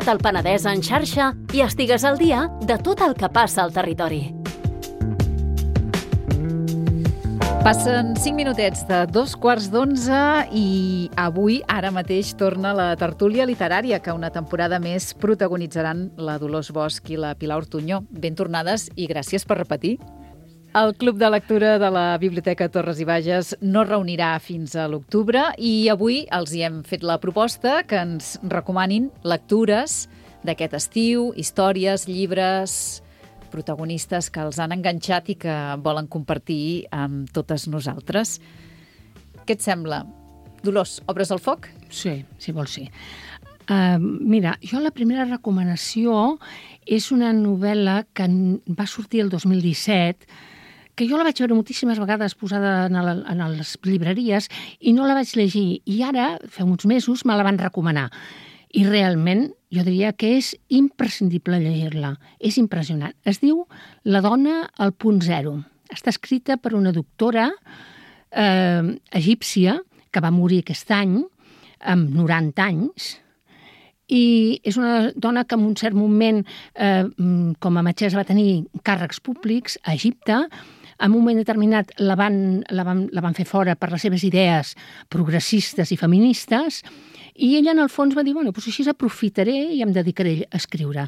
tot el Penedès en xarxa i estigues al dia de tot el que passa al territori. Passen 5 minutets de 2:15 i avui, ara mateix, torna la tertúlia literària que una temporada més protagonitzaran la Dolors Bosch i la Pilar Ortuño. Ben tornades i gràcies per repetir. El Club de Lectura de la Biblioteca Torres i Bages no reunirà fins a l'octubre i avui els hi hem fet la proposta que ens recomanin lectures d'aquest estiu, històries, llibres, protagonistes que els han enganxat i que volen compartir amb totes nosaltres. Què et sembla? Dolors, obres el foc? Sí, si vols sí. Mira, jo la primera recomanació és una novel·la que va sortir el 2017, que jo la vaig veure moltíssimes vegades posada en les llibreries i no la vaig llegir. I ara, fa uns mesos, me la van recomanar. I realment, jo diria que és imprescindible llegir-la. És impressionant. Es diu La dona al punt zero. Està escrita per una doctora egípcia que va morir aquest any, amb 90 anys, i és una dona que en un cert moment, com a metgessa, va tenir càrrecs públics a Egipte. En un moment determinat la van fer fora per les seves idees progressistes i feministes, i ella, en el fons, va dir, bueno, doncs així aprofitaré i em dedicaré a escriure.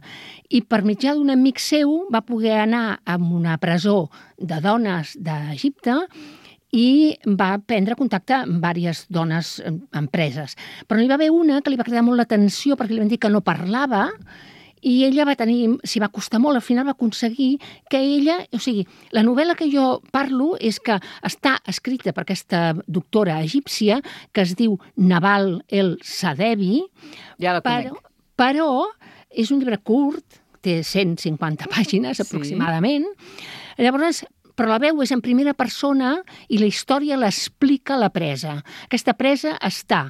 I per mitjà d'un amic seu va poder anar a una presó de dones d'Egipte i va prendre contacte amb diverses dones empreses. Però n'hi va haver una que li va cridar molt l'atenció perquè li van dir que no parlava i ella s'hi va costar molt, al final va aconseguir que ella, o sigui, la novel·la que jo parlo és que està escrita per aquesta doctora egípcia que es diu Naval El Sadebi, ja la conec. Però és un llibre curt, té 150 pàgines aproximadament, llavors, però la veu és en primera persona i la història l'explica la presa. Aquesta presa està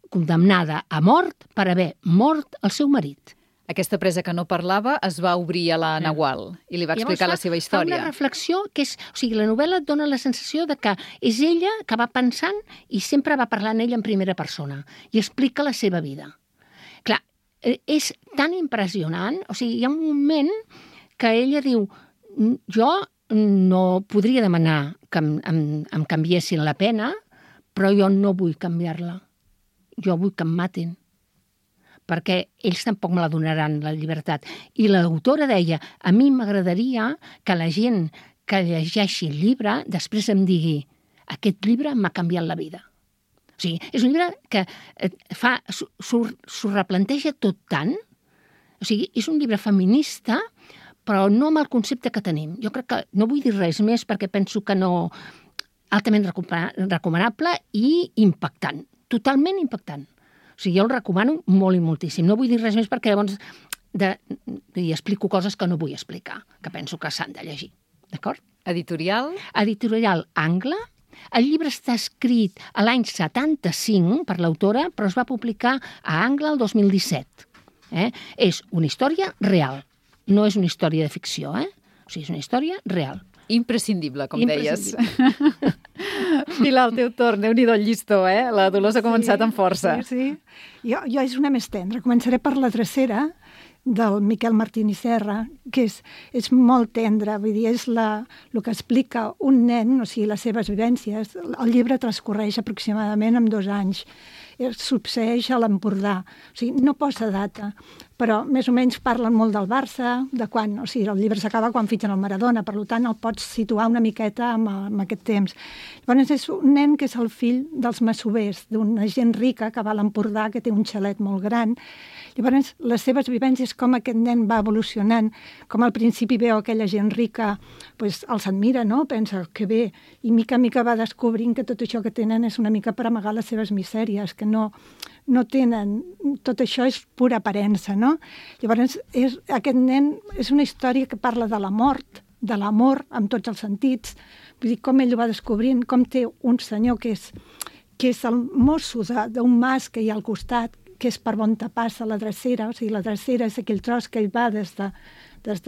condemnada a mort per haver mort el seu marit. Aquesta presa que no parlava es va obrir a la Nahual i li va explicar la seva història. Fa una reflexió que és... O sigui, la novel·la et dona la sensació de que és ella que va pensant i sempre va parlant ella en primera persona i explica la seva vida. Clar, és tan impressionant, o sigui, hi ha un moment que ella diu jo no podria demanar que em canviessin la pena, però jo no vull canviar-la. Jo vull que em matin, perquè ells tampoc me la donaran, la llibertat. I l'autora deia, a mi m'agradaria que la gent que llegeixi el llibre després em digui, aquest llibre m'ha canviat la vida. O sigui, és un llibre que s'ho replanteja tot tant, o sigui, és un llibre feminista, però no amb el concepte que tenim. Jo crec que no vull dir res més perquè penso que no... altament recomanable i impactant, totalment impactant. O sigui, jo el recomano molt i moltíssim. No vull dir res més perquè llavors hi explico coses que no vull explicar, que penso que s'han de llegir. D'acord? Editorial? Editorial Angle. El llibre està escrit a l'any 75 per l'autora, però es va publicar a Angle el 2017. És una història real. No és una història de ficció, O sigui, és una història real. Imprescindible, com deies. Pilar, el teu torn. Déu-n'hi-do el llistó, La Dolors ha començat amb força. Sí. Jo és una més tendra. Començaré per La drecera, del Miquel Martín i Serra, que és molt tendra, vull dir, és el que explica un nen, o sigui, les seves vivències. El llibre transcorreix aproximadament en 2 anys. Succeeix a l'Empordà. O sigui, no posa data, però més o menys parlen molt del Barça, de quan, o sigui, el llibre s'acaba quan fitxen el Maradona, per tant el pots situar una miqueta amb aquest temps. Llavors és un nen que és el fill dels masovers, d'una gent rica que va a l'Empordà, que té un xalet molt gran. Llavors, les seves vivències, com aquest nen va evolucionant, com al principi veu aquella gent rica, doncs els admira, no? Pensa que bé, i mica en mica va descobrint que tot això que tenen és una mica per amagar les seves misèries, que no tenen... Tot això és pura aparença, no? Llavors, aquest nen és una història que parla de la mort, de l'amor, amb tots els sentits. Vull dir, com ell ho va descobrint, com té un senyor que és el mosso d'un mas que hi ha al costat, que és per on passa la drecera, o sigui, la drecera és aquell tros que ell va des de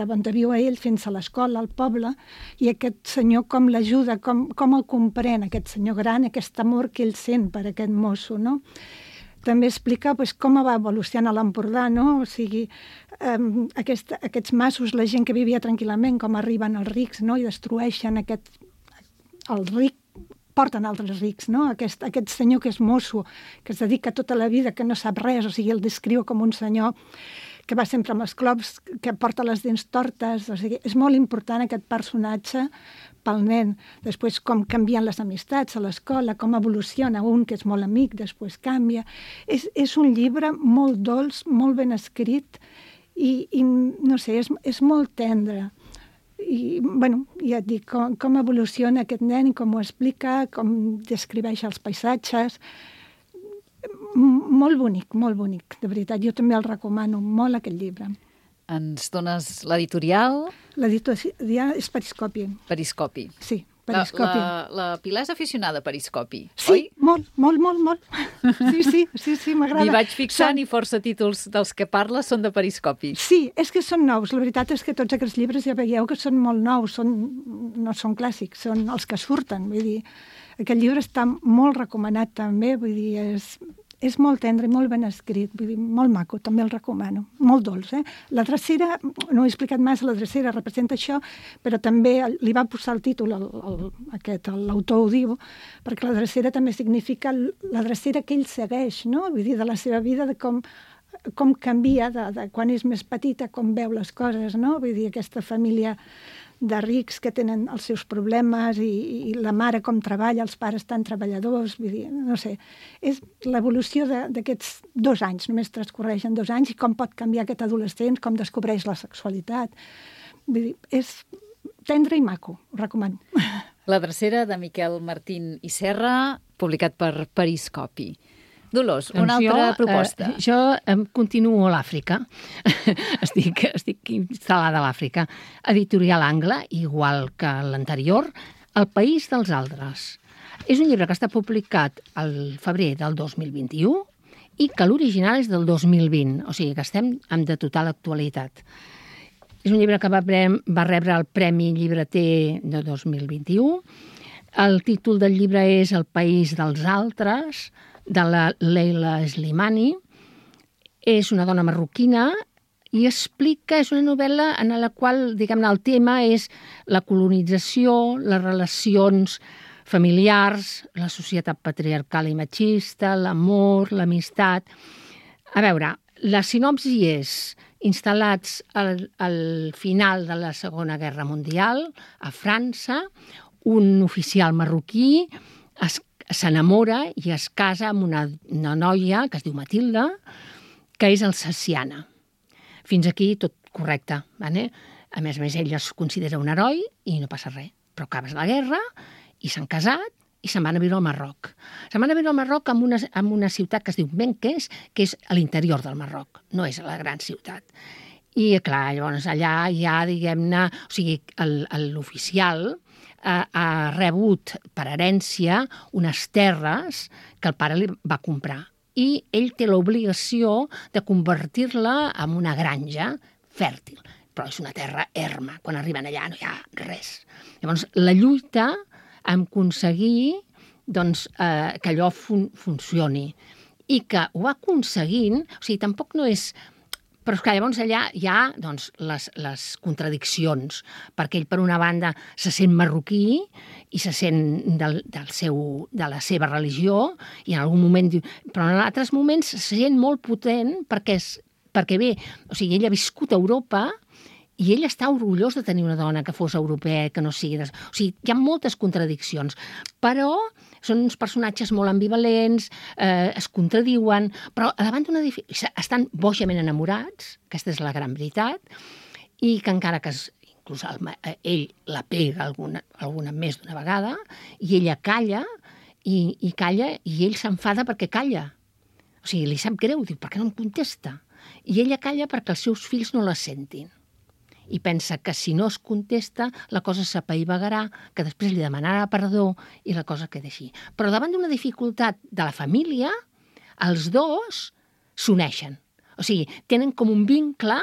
on viu ell fins a l'escola, al poble, i aquest senyor com l'ajuda, com el comprèn, aquest senyor gran, aquest amor que ell sent per aquest mosso, no? també explica com va evolucionar l'Empordà, no? O sigui, aquests masos, la gent que vivia tranquil·lament, com arriben els rics, no? I destrueixen el ric, porten altres rics, no? Aquest senyor que és mosso, que es dedica tota la vida, que no sap res, o sigui, el descriu com un senyor que va sempre amb els clops, que porta les dents tortes, o sigui, és molt important aquest personatge pel nen. Després, com canvien les amistats a l'escola, com evoluciona un que és molt amic, després canvia. És un llibre molt dolç, molt ben escrit i no sé, és molt tendre. I, bueno, ja et dic, com evoluciona aquest nen i com ho explica, com descriveix els paisatges. Molt bonic, de veritat. Jo també el recomano molt, aquest llibre. Ens dones l'editorial? L'editorial és Periscopi. Periscopi. Sí, Periscopi. La Pilar és aficionada a Periscopi, sí, oi? Molt. Sí, m'agrada. M'hi vaig fixant i força títols dels que parles són de Periscopi. Sí, és que són nous. La veritat és que tots aquests llibres ja veieu que són molt nous, no són clàssics, són els que surten. Vull dir, aquest llibre està molt recomanat també, vull dir, és molt tendre i molt ben escrit, vull dir, molt maco, també el recomano. Molt dolç, La drecera, no he explicat massa, la drecera representa això, però també li va posar el títol, l'autor ho diu, perquè la drecera també significa la drecera que ell segueix, no? Vull dir, de la seva vida, de com canvia de quan és més petita, com veu les coses, no? Vull dir, aquesta família de rics que tenen els seus problemes i la mare com treballa, els pares tan treballadors, vull dir, no sé. És l'evolució d'aquests 2 anys, només transcorreixen 2 anys, i com pot canviar aquest adolescent, com descobreix la sexualitat. Vull dir, és tendre i maco, ho recomano. La drecera de Miquel Martín i Serra, publicat per Periscopi. Dolors, una altra proposta. Jo continuo a l'Àfrica. estic instal·lada a l'Àfrica. Editorial Angle, igual que l'anterior, El país dels altres. És un llibre que està publicat al febrer del 2021 i que l'original és del 2020, o sigui que estem de total actualitat. És un llibre que va rebre el Premi Llibreter de 2021. El títol del llibre és El país dels altres, de la Leila Slimani. És una dona marroquina i explica, és una novel·la en la qual, diguem-ne, el tema és la colonització, les relacions familiars, la societat patriarcal i machista, l'amor, l'amistat. A veure, la sinopsi és instal·lats al final de la Segona Guerra Mundial, a França, un oficial marroquí s'enamora i es casa amb una noia que es diu Matilda, que és alsaciana. Fins aquí tot correcte. Vale? A més, ell es considera un heroi i no passa res. Però acaba la guerra i s'han casat i se'n van a viure al Marroc. Se'n van a viure al Marroc en una ciutat que es diu Menques, que és a l'interior del Marroc, no és a la gran ciutat. I, clar, llavors allà ja, diguem-ne, o sigui, l'oficial ha rebut per herència unes terres que el pare li va comprar i ell té l'obligació de convertir-la en una granja fèrtil, però és una terra erma. Quan arriben allà no hi ha res. Llavors, la lluita en aconseguir que allò funcioni i que ho va aconseguint, o sigui, tampoc no és... Però és que llavors allà hi ha les contradiccions, perquè ell, per una banda, se sent marroquí i se sent de la seva religió, i en algun moment diu... Però en altres moments se sent molt potent perquè bé, o sigui, ell ha viscut a Europa i ell està orgullós de tenir una dona que fos europea, que no sigui... O sigui, hi ha moltes contradiccions, però són uns personatges molt ambivalents, es contradiuen, però davant d'una estan bojament enamorats, aquesta és la gran veritat, i que encara que inclús ell la pega alguna més d'una vegada, i ella calla, i calla, i ell s'enfada perquè calla. O sigui, li sap greu, diu, per què no em contesta? I ella calla perquè els seus fills no la sentin. I pensa que si no es contesta la cosa s'apaivagarà, que després li demanarà perdó i la cosa queda així. Però davant d'una dificultat de la família, els dos s'uneixen. O sigui, tenen com un vincle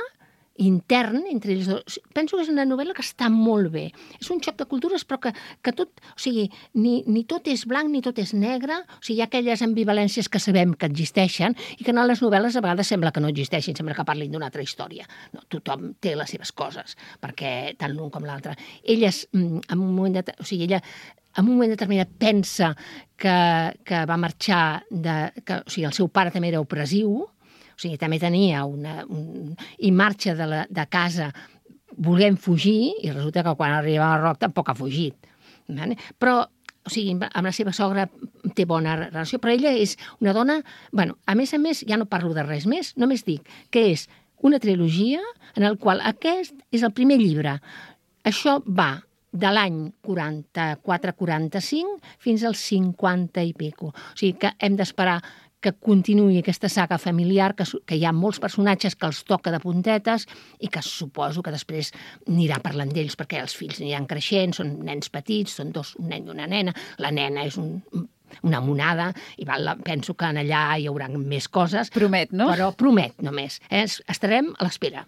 intern entre ells dos. Penso que és una novel·la que està molt bé. És un xoc de cultures, però que tot, o sigui, ni tot és blanc ni tot és negre, o sigui, hi ha aquelles ambivalències que sabem que existeixen i que en les novel·les a vegades sembla que no existeixin, sembla que parlin d'una altra història. No, tothom té les seves coses, perquè tant l'un com l'altre. Elles, en un moment determinat pensa que va marxar, o sigui, el seu pare també era opressiu, o sigui, també tenia i marxa de casa volent fugir, i resulta que quan arriba a Roc tampoc ha fugit. Però, o sigui, amb la seva sogra té bona relació, però ella és una dona... Bueno, a més, ja no parlo de res més, només dic que és una trilogia en el qual aquest és el primer llibre. Això va de l'any 44-45 fins als 50 i pico. O sigui, que hem d'esperar que continuï aquesta saga familiar, que hi ha molts personatges que els toca de puntetes i que suposo que després anirà parlant d'ells perquè els fills aniran creixent, són nens petits, són dos, un nen i una nena. La nena és una monada i penso que allà hi haurà més coses. Promet, no? Però promet només. Estarem a l'espera.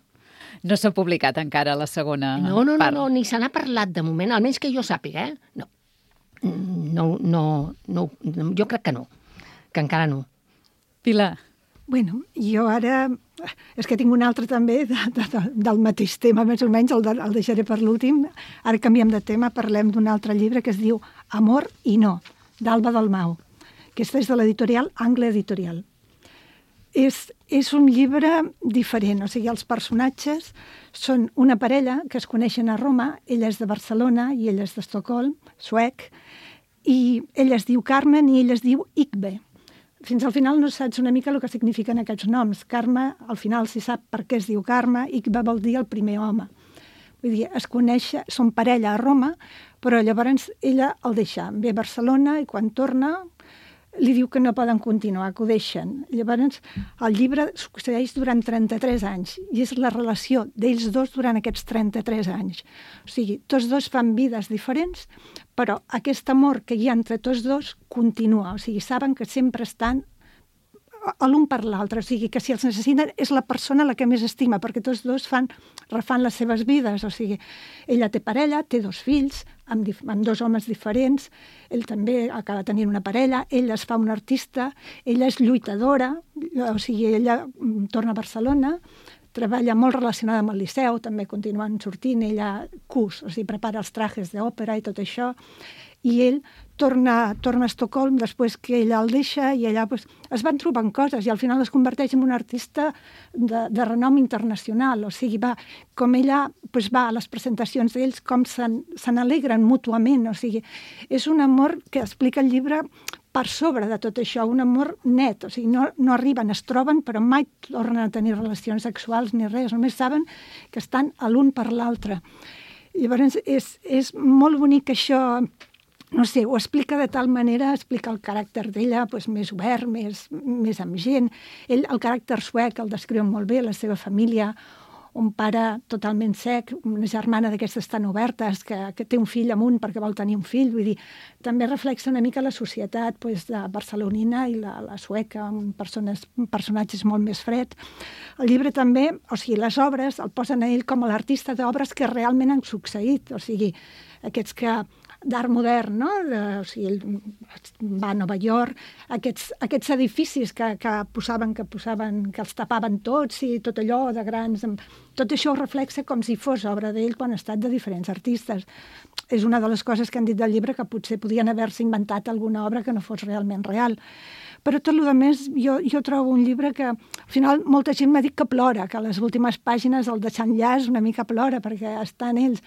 No s'ha publicat encara la segona part? No, ni se n'ha parlat de moment, almenys que jo sàpiga, No, jo crec que no, que encara no. Pilar. Bueno, jo ara... És que tinc un altre també del mateix tema, més o menys, el deixaré per l'últim. Ara canviem de tema, parlem d'un altre llibre que es diu Amor i no, d'Alba Dalmau, que és de l'editorial Angle Editorial. És un llibre diferent, o sigui, els personatges són una parella que es coneixen a Roma, ella és de Barcelona i ell és d'Estocolm, suec, i ella es diu Carmen i ell es diu Igbe. Fins al final no saps una mica el que signifiquen aquests noms. Carme, al final s'hi sap per què es diu Carme, Igbe vol dir el primer home. Vull dir, es coneixen, són parella a Roma, però llavors ella el deixa, ve a Barcelona i quan torna li diu que no poden continuar, que ho deixen. Llavors, el llibre succeeix durant 33 anys i és la relació d'ells dos durant aquests 33 anys. O sigui, tots dos fan vides diferents, però aquest amor que hi ha entre tots dos continua. O sigui, saben que sempre estan l'un per l'altre, o sigui, que si els necessiten és la persona la que més estima, perquè tots dos refan les seves vides, o sigui, ella té parella, té dos fills, amb dos homes diferents, ell també acaba tenint una parella, ella es fa una artista, ella és lluitadora, o sigui, ella torna a Barcelona, treballa molt relacionada amb el Liceu, també continuen sortint, ella cus, o sigui, prepara els trajes d'òpera i tot això, i ell torna a Estocolm després que ella el deixa i allà es van trobant coses i al final es converteix en un artista de renom internacional. O sigui, com ella va a les presentacions d'ells, com se n'alegren mútuament. O sigui, és un amor que explica el llibre per sobre de tot això, un amor net. O sigui, no arriben, es troben, però mai tornen a tenir relacions sexuals ni res. Només saben que estan l'un per l'altre. Llavors, és molt bonic això. No sé, ho explica de tal manera, explica el caràcter d'ella més obert, més amb gent. Ell, el caràcter suec, el descriu molt bé, la seva família, un pare totalment sec, una germana d'aquestes tan obertes, que té un fill amb un perquè vol tenir un fill. Vull dir, també reflexa una mica la societat de barcelonina i la sueca, amb personatges molt més freds. El llibre també, o sigui, les obres el posen a ell com a l'artista d'obres que realment han succeït. O sigui, aquests d'art modern, no? O sigui, ell va a Nova York, aquests edificis que posaven, que els tapaven tots i tot allò de grans... Tot això ho reflexa com si fos obra d'ell quan ha estat de diferents artistes. És una de les coses que han dit del llibre, que potser podien haver-se inventat alguna obra que no fos realment real. Però tot el més, jo trobo un llibre que, al final, molta gent m'ha dit que plora, que a les últimes pàgines el de Xanllàs una mica plora, perquè estan ells...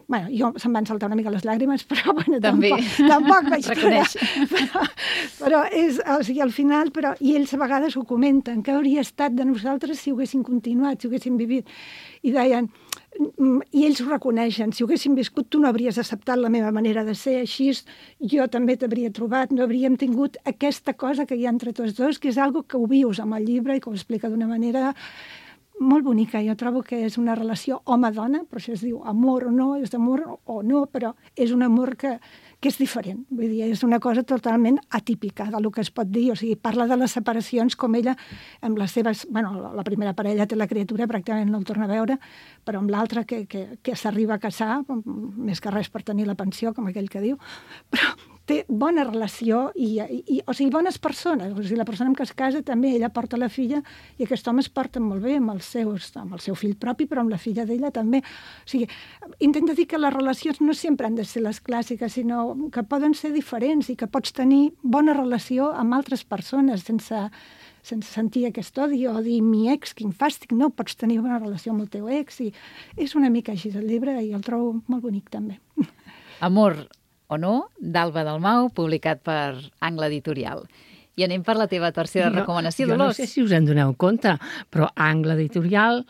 Bueno, jo se'm van saltar una mica les llàgrimes, però bueno, tampoc vaig plorar. Però és, o sigui, al final, i ells a vegades ho comenten, que hauria estat de nosaltres si ho haguessin continuat, si ho haguessin vivit. I deien, i ells ho reconeixen, si ho haguessin viscut tu no hauries acceptat la meva manera de ser, així jo també t'hauria trobat, no hauríem tingut aquesta cosa que hi ha entre tots dos, que és algo que ho vius amb el llibre i que ho explica d'una manera molt bonica. Jo trobo que és una relació home-dona, però això es diu amor o no, és amor o no, però és un amor que que és diferent. Vull dir, és una cosa totalment atípica del que es pot dir. O sigui, parla de les separacions com ella, amb les seves... Bueno, la primera parella té la criatura, pràcticament no el torna a veure, però amb l'altra que s'arriba a casar, més que res per tenir la pensió, com aquell que diu, però té bona relació o sigui, bones persones. O sigui, la persona amb què es casa també, ella porta la filla i aquest home es porta molt bé amb el seu fill propi, però amb la filla d'ella també. O sigui, intenta dir que les relacions no sempre han de ser les clàssiques, sinó que poden ser diferents i que pots tenir bona relació amb altres persones sense sentir aquest odi o dir mi ex, quin fàstic, no, pots tenir una relació amb el teu ex i és una mica així el llibre i el trobo molt bonic també. Amor o no, d'Alba Dalmau, publicat per Angle Editorial. I anem per la teva tercera recomanació, Dolors. Jo no sé si us en doneu compte, però Angle Editorial,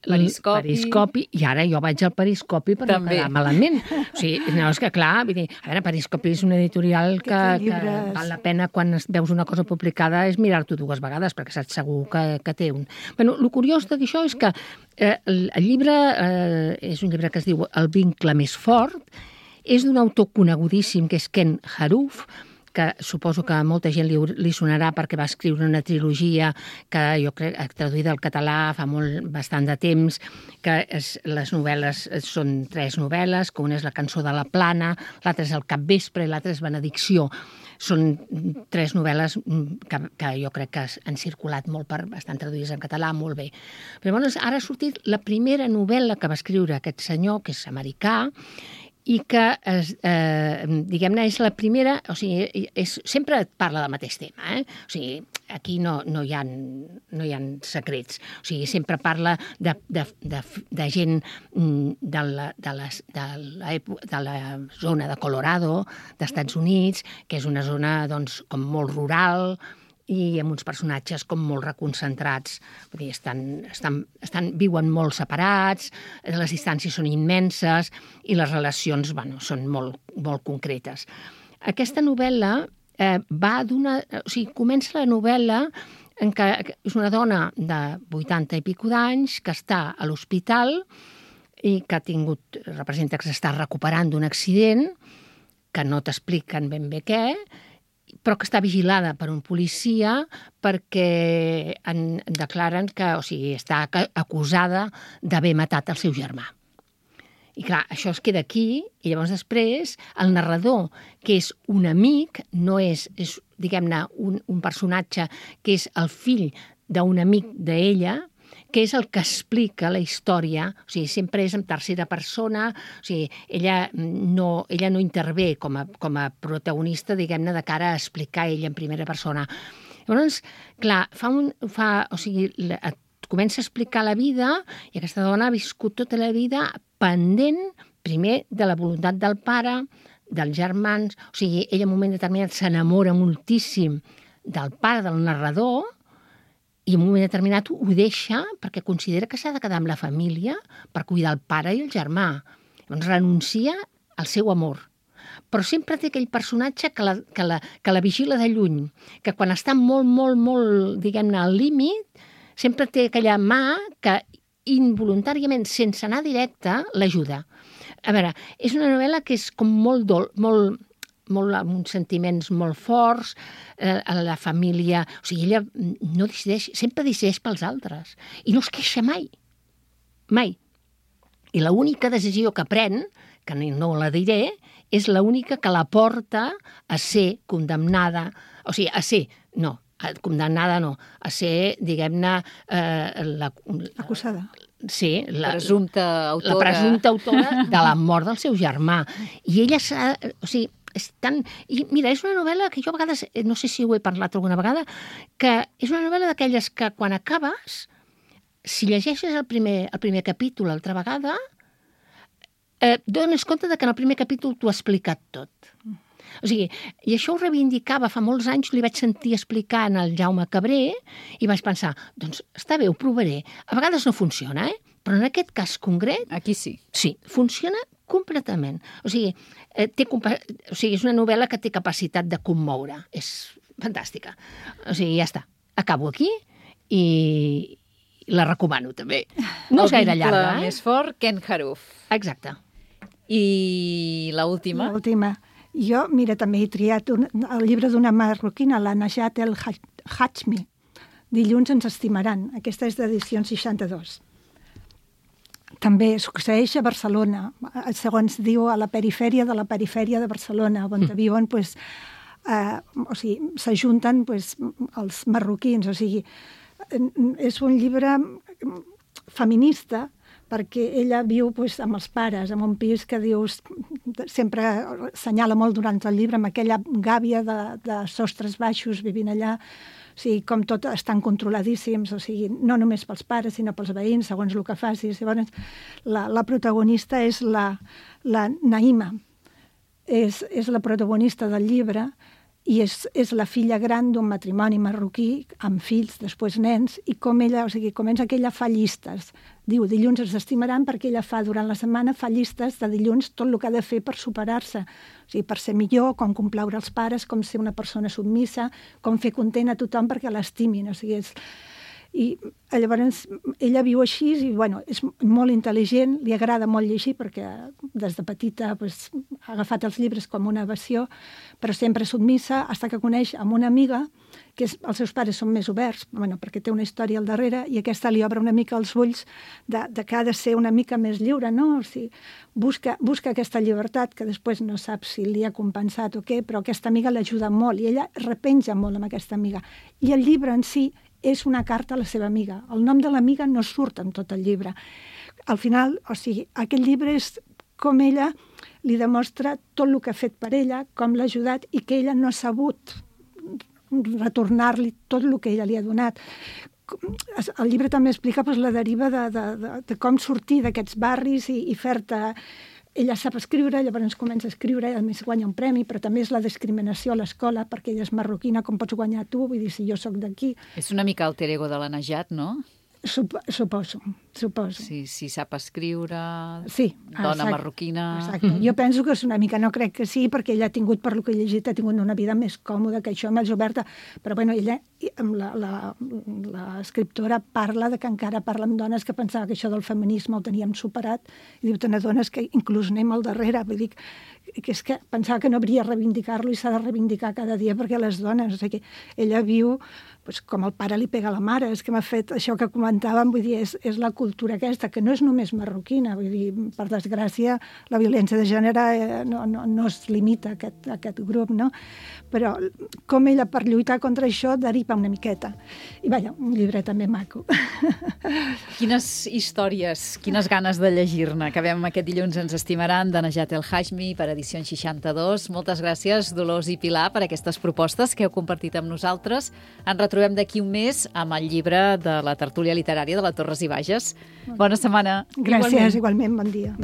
Periscopi, i ara jo vaig al Periscopi per no quedar malament. O sigui, no, és que clar, vull dir, a veure, Periscopi és una editorial que val la pena quan veus una cosa publicada és mirar-t'ho 2 vegades, perquè saps segur que té un. Bueno, el curiós d'això és que el llibre és un llibre que es diu El vincle més fort, és d'un autor conegudíssim que és Ken Haruf, que suposo que a molta gent li sonarà perquè va escriure una trilogia que jo crec traduïda al català fa bastant de temps, que les novel·les són 3 novel·les, que una és La cançó de la plana, l'altra és El capvespre i l'altra és Benedicció. Són 3 novel·les que jo crec que han circulat molt, estan traduïdes en català molt bé. Però llavors ara ha sortit la primera novel·la que va escriure aquest senyor, que és americà, i que, diguem-ne, és la primera, o sigui, sempre parla del mateix tema, o sigui, aquí no hi ha secrets, o sigui, sempre parla de gent de la zona de Colorado, d'Estats Units, que és una zona, doncs, com molt rural, i amb uns personatges com molt reconcentrats. Vull dir, viuen molt separats, les distàncies són immenses i les relacions són molt, molt concretes. Aquesta novel·la comença la novel·la en què és una dona de 80 i pico d'anys que està a l'hospital i que representa que s'està recuperant d'un accident, que no t'expliquen ben bé què, però que està vigilada per un policia perquè declaren que, o sigui, està acusada d'haver matat el seu germà. I clar, això es queda aquí, i llavors després el narrador, que és un amic, no és diguem-ne, un personatge que és el fill d'un amic d'ella, que és el que explica la història, o sigui, sempre és en tercera persona, o sigui, ella no intervé com a protagonista, diguem-ne, de cara a explicar ella en primera persona. Llavors, clar, comença a explicar la vida i aquesta dona ha viscut tota la vida pendent, primer, de la voluntat del pare, dels germans, o sigui, ella en un moment determinat s'enamora moltíssim del pare del narrador, i en un moment determinat ho deixa perquè considera que s'ha de quedar amb la família per cuidar el pare i el germà. Llavors renuncia al seu amor. Però sempre té aquell personatge que la vigila de lluny, que quan està molt, molt, molt, diguem-ne, al límit, sempre té aquella mà que involuntàriament, sense anar directe, l'ajuda. A veure, és una novel·la que és com molt amb uns sentiments molt forts, a la família... O sigui, ella no decideix, sempre decideix pels altres. I no es queixa mai. Mai. I l'única decisió que pren, que no la diré, és l'única que la porta a ser condemnada. O sigui, condemnada no, a ser, diguem-ne... Acusada. Sí, la presumpta autora de la mort del seu germà. I ella o sigui, I mira, és una novel·la que jo a vegades, no sé si ho he parlat alguna vegada, que és una novel·la d'aquelles que quan acabes, si llegeixes el primer capítol altra vegada, dones compte que en el primer capítol t'ho ha explicat tot. O sigui, i això ho reivindicava fa molts anys, li vaig sentir explicar en el Jaume Cabré i vaig pensar, doncs està bé, ho provaré. A vegades no funciona, però en aquest cas concret... Aquí sí. Sí, funciona completament. O sigui, és una novel·la que té capacitat de commoure. És fantàstica. O sigui, ja està. Acabo aquí i la recomano també. No és gaire llarga. El vincle més fort, Ken Haruf. Exacte. I l'última? L'última. Jo, mira, també he triat el llibre d'una marroquina, la Najat El Hajmi, Dilluns ens estimaran. Aquesta és d'edició 62. També succeeix a Barcelona, segons diu, a la perifèria de Barcelona, on viuen, s'ajunten els marroquins. O sigui, és un llibre feminista, perquè ella viu amb els pares, en un pis que dius, sempre assenyala molt durant el llibre, amb aquella gàbia de sostres baixos vivint allà. O sigui, com tot estan controladíssims, o sigui, no només pels pares, sinó pels veïns, segons el que facis. Llavors, la protagonista és la Naïma, és la protagonista del llibre, i és la filla gran d'un matrimoni marroquí, amb fills, després nens, i com ella, o sigui, comença que ella fa llistes. Diu, dilluns ens estimaran, perquè ella durant la setmana fa llistes de dilluns tot el que ha de fer per superar-se. O sigui, per ser millor, com complaure els pares, com ser una persona submissa, com fer content a tothom perquè l'estimin. O sigui, I llavors ella viu així i és molt intel·ligent, li agrada molt llegir perquè des de petita ha agafat els llibres com una aversió, però sempre submissa, fins que coneix amb una amiga que els seus pares són més oberts, perquè té una història al darrere, i aquesta li obre una mica els ulls de que ha de ser una mica més lliure, no? O sigui, busca aquesta llibertat que després no sap si li ha compensat o què, però aquesta amiga l'ajuda molt i ella repenja molt amb aquesta amiga. I el llibre en si és una carta a la seva amiga. El nom de l'amiga no surt en tot el llibre. Al final, o sigui, aquest llibre és com ella li demostra tot el que ha fet per ella, com l'ha ajudat i que ella no ha sabut retornar-li tot el que ella li ha donat. El llibre també explica la deriva de com sortir d'aquests barris i fer-te... Ella sap escriure, llavors comença a escriure, a més guanya un premi, però també és la discriminació a l'escola, perquè ella és marroquina, com pots guanyar tu? Vull dir, si jo sóc d'aquí... És una mica alter ego de la Najat, no? Suposo. Si sap escriure, sí, dona marroquina... Exacte. Jo penso que és una mica, no crec que sí, perquè ella ha tingut, per lo que he llegit, ha tingut una vida més còmoda que això, més oberta, però ella, l'escriptora, parla de que encara parla amb dones que pensava que això del feminisme ho teníem superat, i diu, te n'adones que inclús anem al darrere, vull dir, que és que pensava que no hauria de reivindicar-lo i s'ha de reivindicar cada dia perquè les dones, o sigui, ella viu com el pare li pega a la mare, és que m'ha fet això que comentàvem, vull dir, és la cultura aquesta, que no és només marroquina, vull dir, per desgràcia, la violència de gènere no es limita a aquest grup, no? Però com ella, per lluitar contra això, deriva una miqueta. I, un llibre també maco. Quines històries, quines ganes de llegir-ne. Acabem aquest dilluns ens estimaran, de Najat El Hajmi, per edició 62. Moltes gràcies, Dolors i Pilar, per aquestes propostes que heu compartit amb nosaltres. Ens retrobem d'aquí un mes amb el llibre de la tertúlia literària de la Torres i Bages. Bona setmana. Gràcies, igualment bon dia.